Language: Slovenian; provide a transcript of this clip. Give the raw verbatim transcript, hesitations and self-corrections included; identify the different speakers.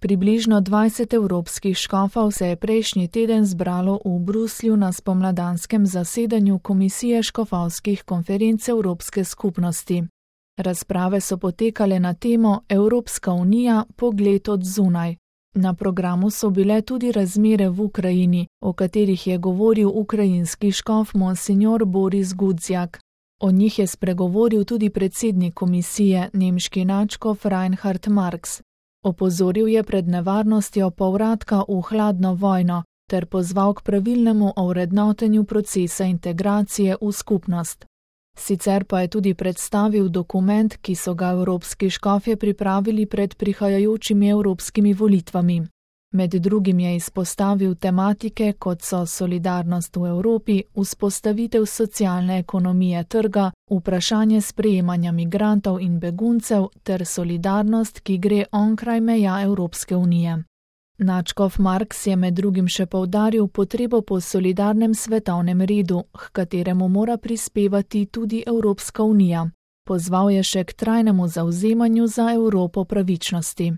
Speaker 1: Približno dvajset evropskih škofov se je prejšnji teden zbralo v Bruslju na spomladanskem zasedanju Komisije škofovskih konferenc Evropske skupnosti. Razprave so potekale na temo Evropska unija – pogled od zunaj. Na programu so bile tudi razmere v Ukrajini, o katerih je govoril ukrajinski škof monsinjor Boris Gudzjak. O njih je spregovoril tudi predsednik komisije, nemški nadškof Reinhard Marx. Opozoril je pred nevarnostjo povratka v hladno vojno ter pozval k pravilnemu ovrednotenju procesa integracije v skupnost. Sicer pa je tudi predstavil dokument, ki so ga evropski škofje pripravili pred prihajajočimi evropskimi volitvami. Med drugim je izpostavil tematike, kot so solidarnost v Evropi, vzpostavitev socialne ekonomije trga, vprašanje sprejemanja migrantov in beguncev ter solidarnost, ki gre onkraj meja Evropske unije. Nadškof Marx je med drugim še poudaril potrebo po solidarnem svetovnem redu, h kateremu mora prispevati tudi Evropska unija. Pozval je še k trajnemu zavzemanju za Evropo pravičnosti.